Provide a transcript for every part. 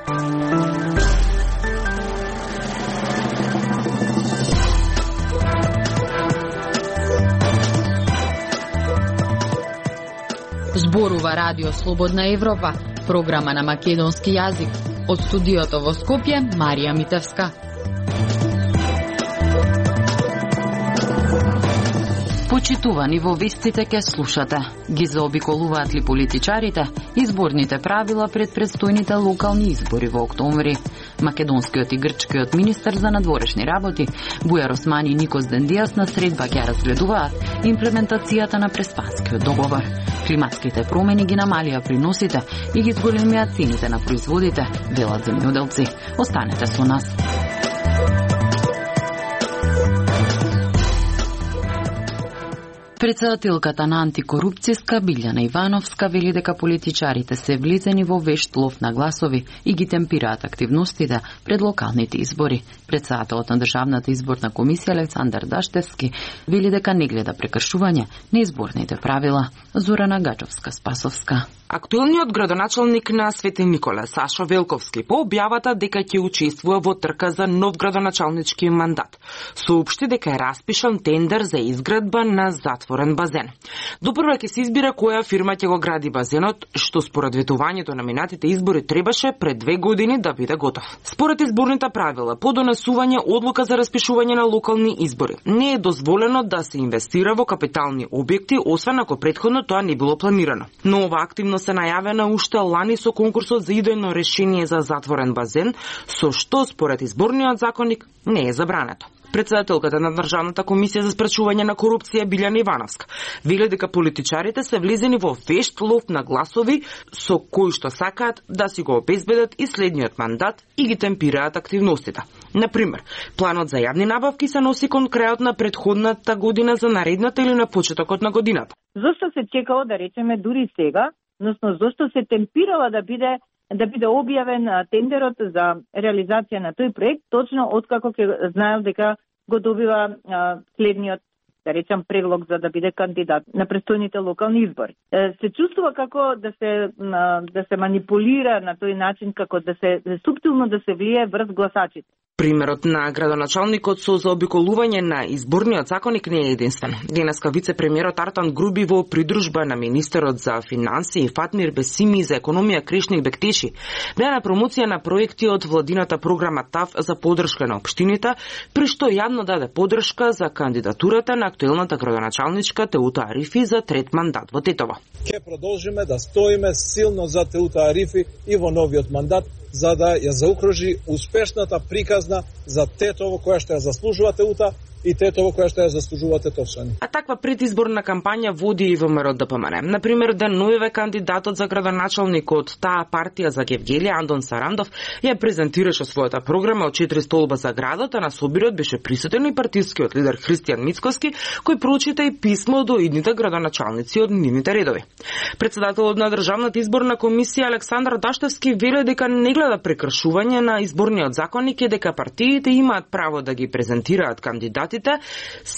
Зборува Радио Слободна Европа, програма на македонски јазик. Од студиото во Скопје, Марија Митевска. Почитувани во вестите ке слушате. Ги заобиколуваат ли политичарите изборните правила пред предстојните локални избори во октомври? Македонскиот и грчкиот министер за надворешни работи Бујар Османи и Никос Дендијас на средба ќе разгледуваат имплементацијата на Преспанскиот договор. Климатските промени ги намалија приносите и ги зголемија цените на производите, велат земјоделци. Останете со нас. Председателката на антикорупцијска Билјана Ивановска вели дека политичарите се влезени во вешт лов на гласови и ги темпираат активностите пред локалните избори. Председателот на Државната изборна комисија Александар Даштевски вели дека не гледа прекршување на изборните правила. Зорана Гачовска-Спасовска. Актуелниот градоначалник на Свети Николе, Сашо Велковски, по објавата дека ќе учествува во трка за нов градоначалнички мандат. Соопшти дека е распишан тендер за изградба на затворен базен. Допрва ќе се избира која фирма ќе го гради базенот, што според ветувањето на минатите избори требаше пред 2 години да биде готов. Според изборните правила, по донесување одлука за распишување на локални избори, не е дозволено да се инвестира во капитални објекти, освен ако претходно тоа не било планирано. Но ова активно се најавена уште лани со конкурсот за идејно решение за затворен базен, со што според изборниот законник не е забрането. Председателката на Државната комисија за спречување на корупција Билјана Ивановска вели дека политичарите се влезени во вешт лов на гласови со кои што сакаат да си го обезбедат и следниот мандат и ги темпираат активностите. Например, планот за јавни набавки се носи кон крајот на претходната година за наредната или на почетокот на годината. Зошто се чекало да речеме дури сега, односно зошто се темпирала да биде објавен тендерот за реализација на тој проект, точно откако ќе знаел дека го добива следниот, да речам, предлог за да биде кандидат на престојните локални избори. Се чувствува како да се манипулира на тој начин, како да се суптилно да се влие врз гласачите. Примерот на градоначалникот со заобиколување на изборниот законник не е единствен. Денеска вице-премиерот Артан Груби во придружба на министерот за финансии Фатмир Бесими за економија Кришник Бектеши беа на промоција на проекти од владината програма ТАФ за поддршка на општините, при што јавно даде поддршка за кандидатурата на актуелната градоначалничка Теута Арифи за трет мандат во Тетово. Ке продолжиме да стоиме силно за Теута Арифи и во новиот мандат, за да ја заокружи успешната приказна за Тетово која што ја заслужува Теута и Тетово која што ја заслужува тетовчани. А таква предизборна кампања води и ВМРО ДПМН. Например, деновиве кандидатот за градоначалник од таа партија за Гевгелија Андон Сарандов ја презентираше својата програма од 4 столба за градот, а на собирот беше присутен и партискиот лидер Христијан Мицкоски, кој прочита и писмо до идните градоначалници од нивните редови. Председателот на Државната изборна комисија Александар Даштевски вели дека не гледа прекршување на изборниот законник и дека партиите имаат право да ги презентираат кандидатите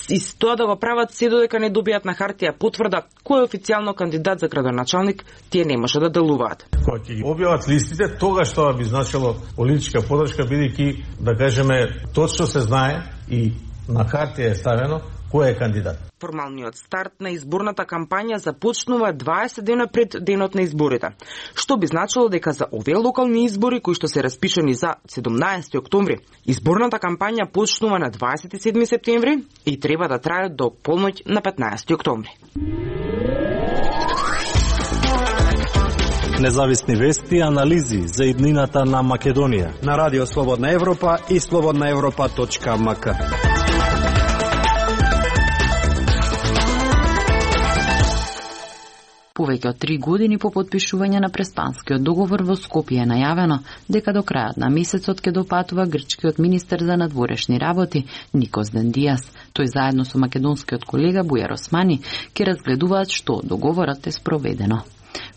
и тоа да го прават се додека не добијат на хартија потврда кој е официјално кандидат за градоначалник, тие не може да делуваат. Кога ќе објават листите, тогаш тоа би значило политичка поддршка, бидејќи, да кажеме, точно се знае и на хартија е ставено кој е кандидат. Формалниот старт на изборната кампања започнува 20 дена пред денот на изборите, што би значило дека за овие локални избори кои што се распишани за 17 октомври, изборната кампања почнува на 27 септември и треба да трае до полноќ на 15 октомври. Независни вести и анализи за иднината на Македонија на Радио Слободна Европа и slobodnaevropa.mk. Повеќе од 3 години по потпишување на Преспанскиот договор во Скопје е најавено дека до крајот на месецот ќе допатува грчкиот министер за надворешни работи Никос Дендијас. Тој заедно со македонскиот колега Бујар Османи ќе разгледуваат што договорот е спроведено.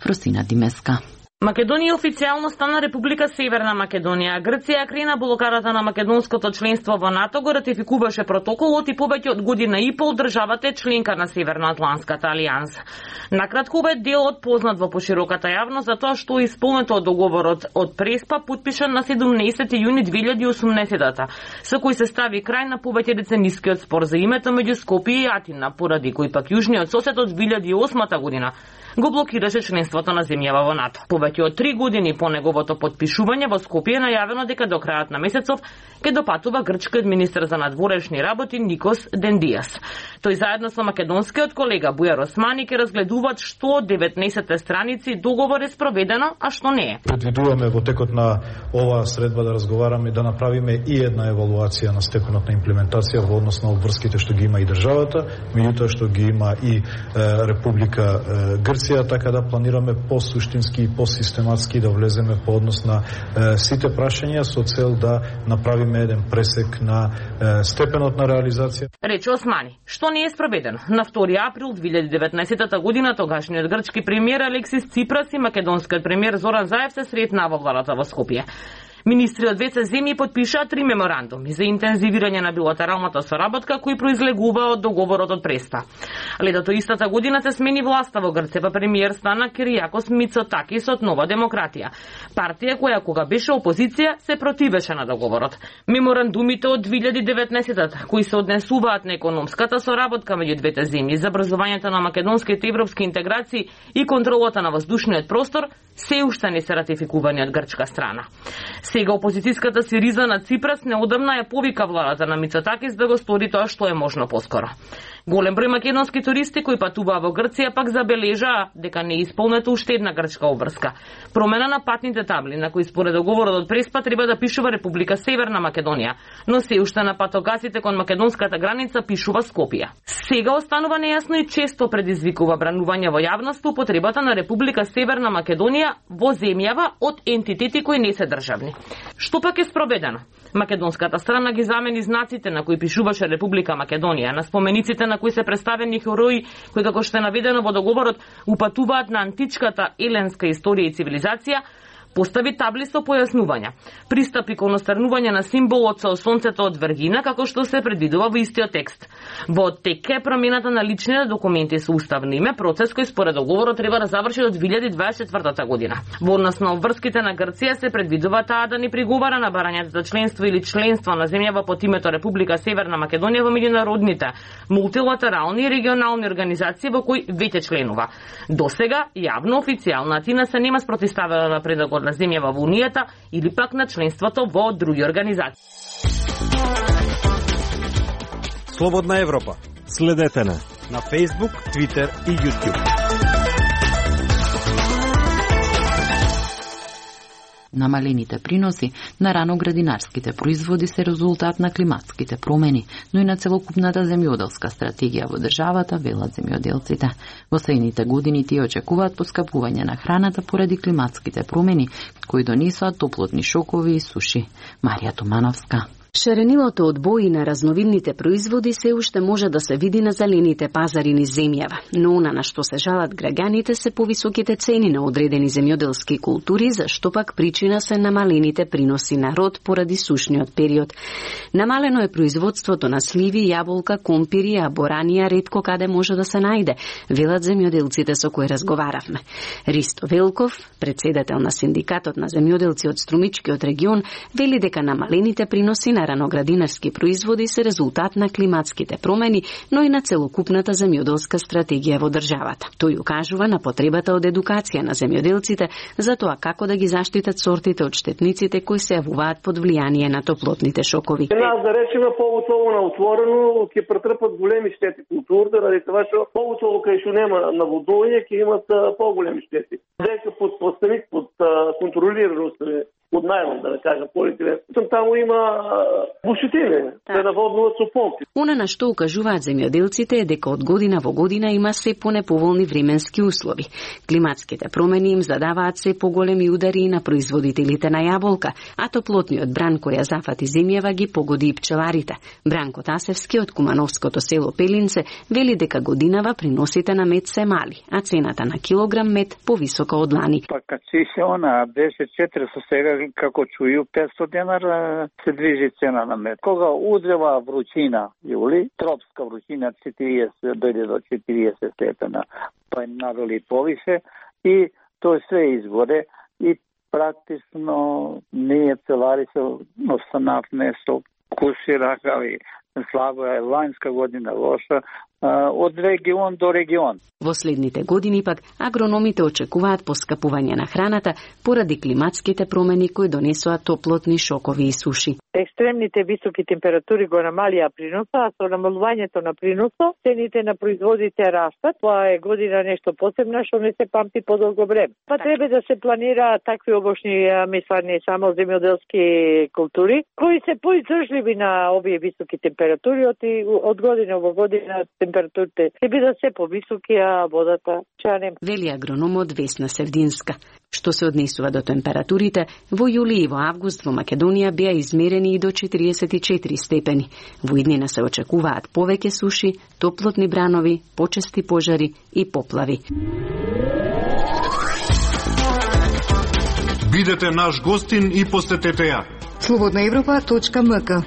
Фросина Димеска. Македонија официјално стана Република Северна Македонија. Грција крена блокадата на македонското членство во НАТО, го ратификуваше протоколот и повеќе од година и пол државата е членка на Северноатланската алијанса. Накратко, ова е делот познат во пошироката јавност за тоа што е исполнето од договорот од Преспа, потпишан на 17 јуни 2018, со кој се стави крај на повеќе деценискиот спор за името меѓу Скопје и Атина, поради кој пак јужниот сосед од 2008 година го блокираше членството на земјава во НАТО. Повеќе од 3 години по неговото потпишување во Скопје е најавено дека до крајот на месецов ќе допатува грчкиот министер за надворешни работи Никос Дендијас. Тој заедно со македонскиот колега Бујар Османи ќе разгледуваат што од 19 страници договор е спроведено, а што не е. Предвидуваме во текот на оваа средба да разговараме и да направиме и една евалуација на степенот на имплементација во однос на обврските што ги има и државата, меѓутоа што ги има и Република Грција, така да планираме по-суштински и по-систематски да влеземе по однос на сите прашања со цел да направиме еден пресек на степенот на реализација. Рече Османи, што не е спроведено. На 2 април 2019 година тогашниот грчки премиер Алексис Ципрас и македонскиот премиер Зоран Заев се сретнаа во владата во Скопје. Министри од двете земји потпишаа 3 меморандуми за интензивирање на билатералната соработка кои произлегува од договорот од Преспа. Летото истата година се смени власта во Грција, па премиер стана Киријакос Мицотакис од Нова демократија, партија која кога беше опозиција се противеше на договорот. Меморандумите од 2019 кои се однесуваат на економската соработка меѓу двете земји, забрзувањето на македонските европски интеграции и контролата на воздушниот простор се уште не се ратификувани од грчка страна. Сега опозицијската Сириза на Ципрас неодамна ја повика владата на Мицотакис да го стори тоа што е можно поскоро. Голем број македонски туристи кои патуваа во Грција пак забележаа дека не е исполнета уште една грчка обврска. Промена на патните табли на кои според договорот од Преспа треба да пишува Република Северна Македонија, но се уште на патогасите кон македонската граница пишува Скопје. Сега останува нејасно и често предизвикува бранување во јавност употребата на Република Северна Македонија во земјава од ентитети кои не се државни. Што пак е спроведено? Македонската страна ги замени знаците на кои пишуваше Република Македонија, на спомениците на кои се представени херои кои, како што е наведено во договорот, упатуваат на античката еленска историја и цивилизација, постави табли со појаснувања. Пристапи кон острнување на символот со сонцето од Вергина, како што се предвидува во истиот текст. Во тек е промената на личните документи со уставно име, процес кој според договорот треба да заврши до 2024 година. Во однос на обврските на Грција се предвидува таа да не приговара на барањето за членство или членство на земјава под името Република Северна Македонија во меѓународните, мултилатерални и регионални организации во кои веќе членува. Досега, јавно, официјално Атина се нема спротивставила на предлагот на земјава во Унијата или пак на членството во други организации. Слободна Европа. Следете на Facebook, Twitter и YouTube. Намалените приноси на раноградинарските производи се резултат на климатските промени, но и на целокупната земјоделска стратегија во државата, велат земјоделците. Во следните години тие очекуваат поскапување на храната поради климатските промени, кои донесоа топлотни шокови и суши. Марија Тумановска. Шаренилото од бои на разновидните производи се уште може да се види на зелените пазари низ земјава, но она на што се жалат граѓаните се повисоките цени на одредени земјоделски култури, за што пак причина се намалените приноси на род поради сушниот период. Намалено е производството на сливи, јаболка, компири, а боранија ретко каде може да се најде, велат земјоделците со кои разговаравме. Ристо Велков, председател на синдикатот на земјоделци од Струмичкиот регион, вели дека намалените приноси на раноградинарски производи се резултат на климатските промени, но и на целокупната земјоделска стратегија во државата. Тој укажува на потребата од едукација на земјоделците за тоа како да ги заштитат сортите од штетниците кои се јавуваат под влијание на топлотните шокови. Нас, да речеме, повуцово на отворено ќе претрпат големи штети културите, ради тоа што повуцово кај што нема наводување ќе имат поголеми штети. Дека под поставик, под контролираност, под најлон, да кажам, полиетилен Таму има бушители, да наводнуваат со помпи. Она на што укажуваат земјоделците е дека од година во година има се понеповолни временски услови. Климатските промени им задаваат се поголеми удари на производителите на јаболка, а топлотниот бран која зафати земјава ги погоди и пчеларите. Бранко Тасевски од кумановското село Пелинце вели дека годинава приносите на мед се мали, а цената на килограм мед повисока од лани. Па качи се она 10-400, сега како чују 500 денара се движи цена на мед. Кога узрева вручина, јули, тропска вручина 40 дојде до 40 степена, па надоли повише и тоа све изгоре и практично ние целари се останав нешто куши ракави. Слабо е ланска година лоша, од регион до регион. Во следните години пак агрономите очекуваат поскапување на храната поради климатските промени кои донесоа топлотни шокови и суши. Екстремните високи температури го намалија приноса, а со намалувањето на приносот цените на производите растат. Тоа е година нешто посебно што не се памти подолго време. Па треба да се планира такви обошни мислани само земјоделски култури кои се поиздржливи на овие високи температури од година во година температурите ќе бидат се повисоки, а водата чанем. Вели агрономот Весна Севдинска. Што се однесува до температурите, во јули и во август во Македонија беа измерени и до 44 степени. Во иднина се очекуваат повеќе суши, топлотни бранови, почести пожари и поплави. Бидете наш гостин и посетете ја. slobodnaevropa.mk.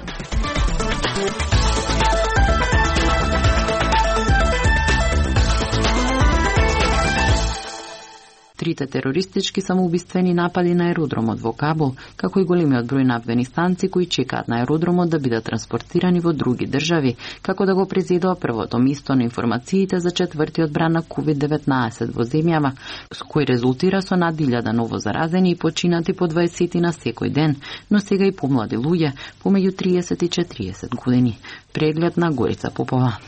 Трите терористички самоубиствени напади на аеродромот во Кабул, како и големиот број на афганистранци кои чекаат на аеродромот да бидат транспортирани во други држави, како да го презедоа првото место на информациите за четвртиот бран на COVID-19 во земјава, с кој резултира со над 1000 ново заразени и починати по 20 на секој ден, но сега и помлади луѓе, помеѓу 30 и 40 години. Преглед на Горица Попова.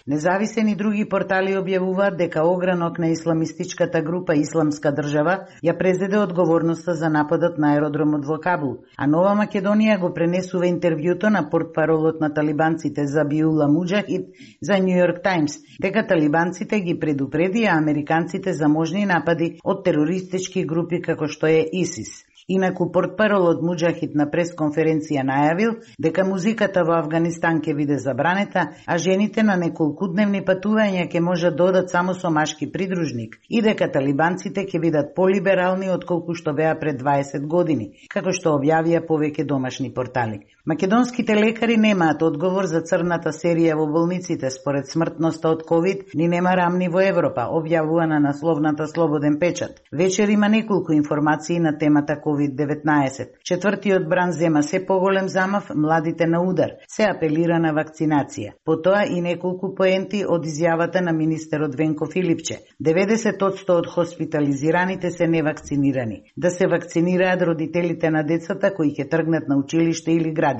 Независени други портали објавуваат дека огранок на исламистичката група Исламска држава ја презеде одговорноста за нападот на аеродромот во Кабул, а Нова Македонија го пренесува интервјуто на портпаролот на талибанците Забиула Муџахид за Нью Йорк Таймс, дека талибанците ги предупредија американците за можни напади од терористички групи како што е ИСИС. Инаку портпаролот Муџахид на пресконференција најавил дека музиката во Авганистан ќе биде забранета, а жените на неколкудневни патувања ќе можат да одат само со машки придружник и дека талибанците ќе бидат полиберални отколку што беа пред 20 години, како што објавија повеќе домашни портали. Македонските лекари немаат одговор за црната серија во болниците според смртноста од ковид, ни нема рамни во Европа, објавува на насловната Слободен печат. Вечер има неколку информации на темата COVID-19. Четвртиот бран зема се поголем замав, младите на удар, се апелира на вакцинација. Потоа и неколку поенти од изјавата на министерот Венко Филипче. 90% од хоспитализираните се невакцинирани. Да се вакцинираат родителите на децата кои ќе тргнат на училиште или градинка.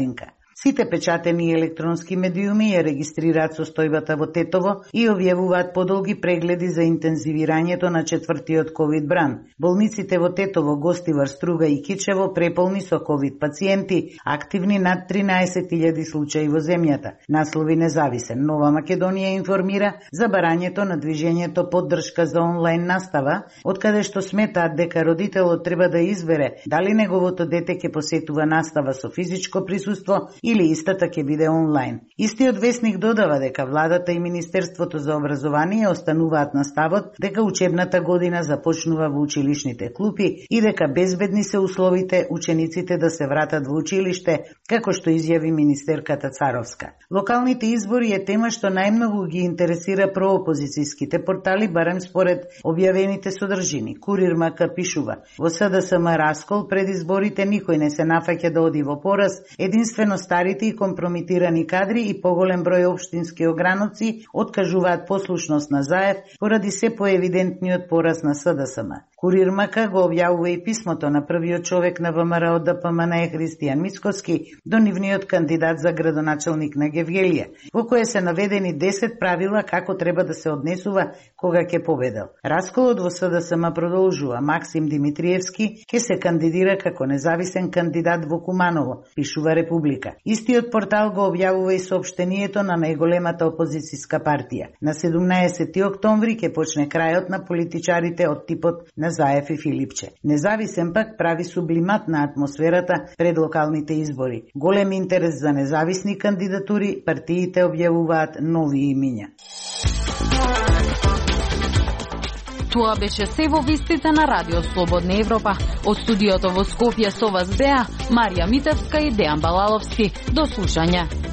Сите печатени електронски медиуми ја регистрираат состојбата во Тетово и објавуваат подолги прегледи за интензивирањето на четвртиот ковид бран. Болниците во Тетово, Гостивар, Струга и Кичево преполни со ковид пациенти, активни над 13.000 случаи во земјата. Наслови Независен. Нова Македонија информира за барањето на движењето поддршка за онлайн настава, откаде што сметаат дека родителот треба да избере дали неговото дете ќе посетува настава со физичко присуство или истата ќе биде онлайн. Истиот весник додава дека владата и Министерството за образование остануваат на ставот дека учебната година започнува во училишните клупи и дека безбедни се условите учениците да се вратат во училиште, како што изјави министерката Царовска. Локалните избори е тема што најмногу ги интересира проопозицијските портали, барем според објавените содржини. Курир МК пишува: во СДСМ раскол пред изборите никој не се нафаќа да оди во пораз, единствено старите и компрометирани кадри и поголем број општински ограновци откажуваат послушност на Заев поради се поевидентниот пораз на СДСМ. Курир МК го објавува и писмото на првиот човек на ВМРО ДПМН Христијан Мицкоски до нивниот кандидат за градоначалник на Гевгелија, во кое се наведени 10 правила како треба да се однесува кога ќе победел. Расколот во СДСМ продолжува. Максим Димитриевски ќе се кандидира како независен кандидат во Куманово, пишува Република. Истиот портал го објавува и соопштението на најголемата опозицијска партија. На 17 октомври ќе почне крајот на политичарите од типот на Заев и Филипче. Независен пак прави сублимат на атмосферата пред локалните избори. Голем интерес за независни кандидатури, партиите објавуваат нови имиња. Тоа беше се во вестите на Радио Слободна Европа. Од студиото во Скопје со вас беа Марија Митевска и Дејан Балаловски. До слушање.